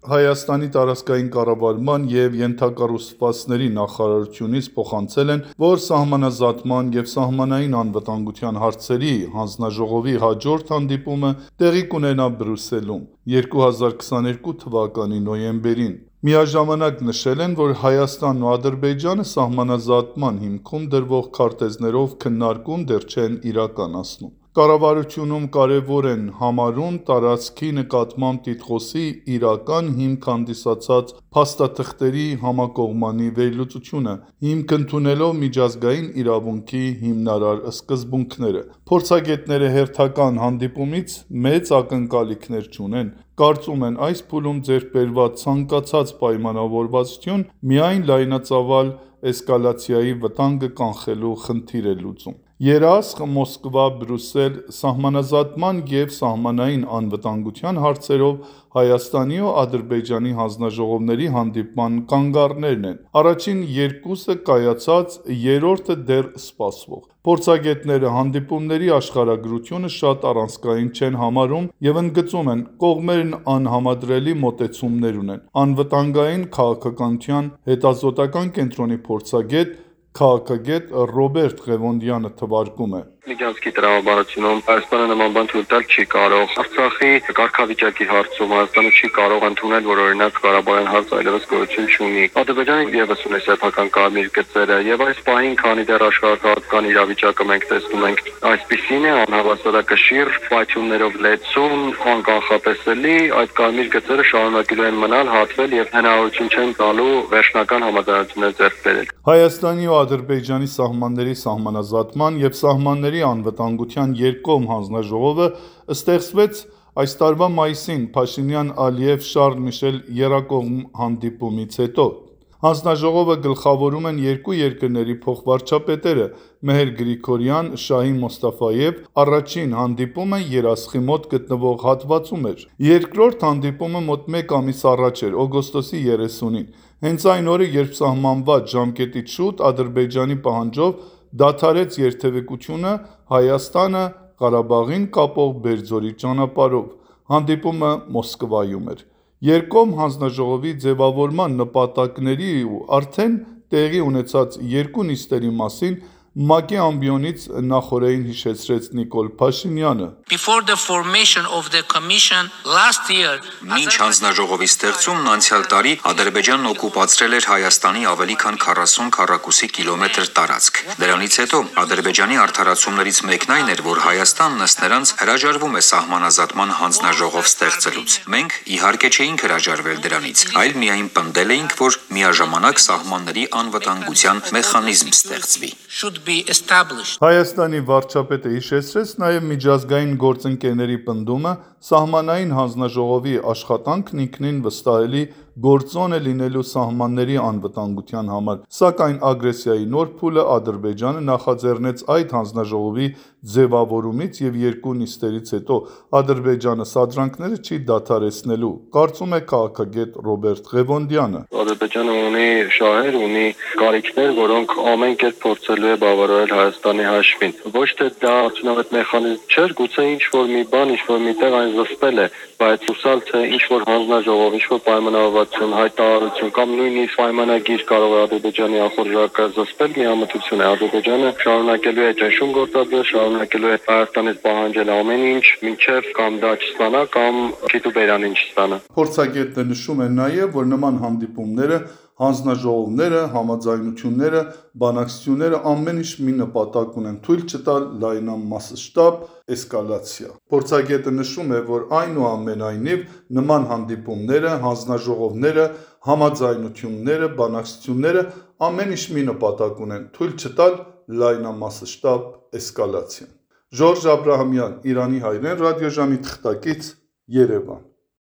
Հայաստանի տարածքային կառավարման և ենթակառուցվածքների նախարարությունից փոխանցել են, որ սահմանազատման և սահմանային անվտանգության հարցերի հանձնաժողովի հաջորդ հանդիպումը տեղի կունենա Բրյուսելում 2022 թվականի նոյեմբերին։ Միաժամանակ նշել են, որ Հայաստանն ու Ադրբեջանը սահմանազատման հիմքում դրվող քարտեզներով քննարկում դեռ չեն իրականացնում։ Կառավարությունում կարևոր են համարում տարածքի նկատմամբ տիտղոսի իրական հիմք հանդիսացած փաստաթղթերի համակողմանի վերլուծությունը՝ հիմք ընդունելով միջազգային իրավունքի հիմնարար սկզբունքները։ Փորձագետները հերթական հանդիպումից մեծ ակնկալիքներ չունեն։ Կարծում են՝ այս փուլում ձեռք բերված ցանկացած պայմանավորվածություն միայն լայնածավալ էսկալացիայի վտանգը կանխելու խնդիր է լուծում։ Երասխ, Մոսկվա, Բրյուսել սահմանազատման և սահմանային անվտանգության հարցերով Հայաստանի ու Ադրբեջանի հանձնաժողովների հանդիպման կանգառներն են։ Առաջին երկուսը կայացած, երրորդը դեռ սպասվող։ Փորձագետները հանդիպումների աշխարհագրությունը շատ առանցքային չեն համարում և ընդգծում են՝ կողմերն անհամադրելի մոտեցումներ ունեն։ Անվտանգային քաղաքականության հետազոտական կենտրոնի փորձագետ, քաղաքագետ Ռոբերտ Ղևոնդյանը թվարկում է. Միջանցքի տրամաբանությունում Հայաստանը նման բան թույլ տալ չի կարող։ Արցախի կարգավիճակի հարցում Հայաստանը չի կարող ընդունել, որ օրինակ Ղարաբաղյան հարցը այլևս գոյություն չունի։ Ադրբեջանը ևս ունի սեփական կարմիր գծերը, եւ այս պահին, քանի դեռ աշխարհական իրավիճակը մենք տեսնում ենք այսպիսին է, անհավասարակշիռ, պայթյուններով լեցուն, անկանխատեսելի, այդ կարմիր գծերը շարունակելու են մնալ, հատվել եւ հնարավորություն չեն տալու վերջնական համաձայնություններ ձեռք բերել։ Հայաստանի ու Ադրբեջանի սահմանների սահմանազատման և սահմանների անվտանգության երկկողմ հանձնաժողովը ստեղծվեց այս տարվա մայիսին Փաշինյան-Ալիև Շառլ Միշել եռակողմ հանդիպումից հետո։ Հանձնաժողովը գլխավորում են երկու երկրների փոխվարչապետերը Մեհեր Գրիգորյան, Շահին Մոստաֆաև։ Առաջին հանդիպումը Երասխի մոտ գտնվող հատվածում էր։ Երկրորդ հանդիպումը մոտ մեկ ամիս առաջ էր՝ օգոստոսի 30-ին։ Հենց այն օրը, երբ սահմանված ժամկետից շուտ Ադրբեջանի պահանջով դադարեց երթևեկությունը Հայաստանը Ղարաբաղին կապող Բերձորի ճանապարհով։ Հանդիպումը Մոսկվայում էր։ Երկկողմ հանձնաժողովի ձևավորման նպատակների ու արդեն տեղի ունեցած երկու նիստերի մասին ՄԱԿ-ի ամբիոնից նախօրեին հիշեցրեց Նիկոլ Փաշինյանը։ Մինչ հանձնաժողովի ստեղծումն անցյալ տարի Ադրբեջանն օկուպացրել էր Հայաստանի ավելի քան 40 քառակուսի կիլոմետր տարածք։ Դրանից հետո Ադրբեջանի արդարացումներից մեկն այն էր, որ Հայաստանն ըստ նրանց հրաժարվում է սահմանազատման հանձնաժողով ստեղծելուց։ Մենք իհարկե չէինք հրաժարվել դրանից, այլ միայն պնդել էինք, որ միաժամանակ սահմանների անվտանգության մեխանիզմ ստեղծվի։ Հայաստանի վարչապետը հիշեցրեց նաև միջազգային գործընկերների պնդումը սահմանային հանձնաժողովի աշխատանքն ինքնին վստահելի գործոն է լինելու սահմանների անվտանգության համար, սակայն ագրեսիայի նոր փուլը Ադրբեջանը նախաձեռնեց այդ հանձնաժողովի ձևավորումից և երկու նիստերից հետո Ադրբեջանը սադրանքները չի դադարեցնելու, կարծում է քաղաքագետ Ռոբերտ Ղևոնդյանը։ Ադրբեջանը ունի շահեր, ունի կարիքներ, որոնք ամեն կերպ փորձելու է բավարարել Հայաստանի հաշվին։ Ոչ թե դա արդյունավետ մեխանիզմ չէր, գուցե ինչ-որ մի բան, ինչ-որ միտեղ այն զսպել է, բայց հուսալ թե ինչ-որ հանձնաժողով, ինչ-որ պայմանավորվածություն, հայտարարություն կամ նույնիսկ պայմանագիր կարող է Ադրբեջանի անխորժակը զսպել, միամտություն է։ Ադրբեջանը շարունակելու է ճնշում գործադրել, շարունակելու է Հայաստանից պահանջել ամեն ինչ, մինչև կամ դա չստանա, կամ քիթ ու բերանին չստանա։ Փորձագետը նշում է նաև, որ նման հանդիպումները, հանձնաժողովները, համաձայնությունները, բանակցությունները ամեն ինչ մի նպատակ ունեն՝ թույլ չտալ լայնամասշտաբ էսկալացիա։ Փորձագետը նշում է, որ այնուամենայնիվ նման հանդիպումները, հանձնաժողովները, համաձայնությունները, բանակցությունները ամեն ինչ մի նպատակ ունեն՝ թույլ չտալ լայնամասշտաբ էսկալացիա։ Ժորժ Աբրահամյան, Իրանի հայրեն ռադիոժամի թղթակից, Երևան։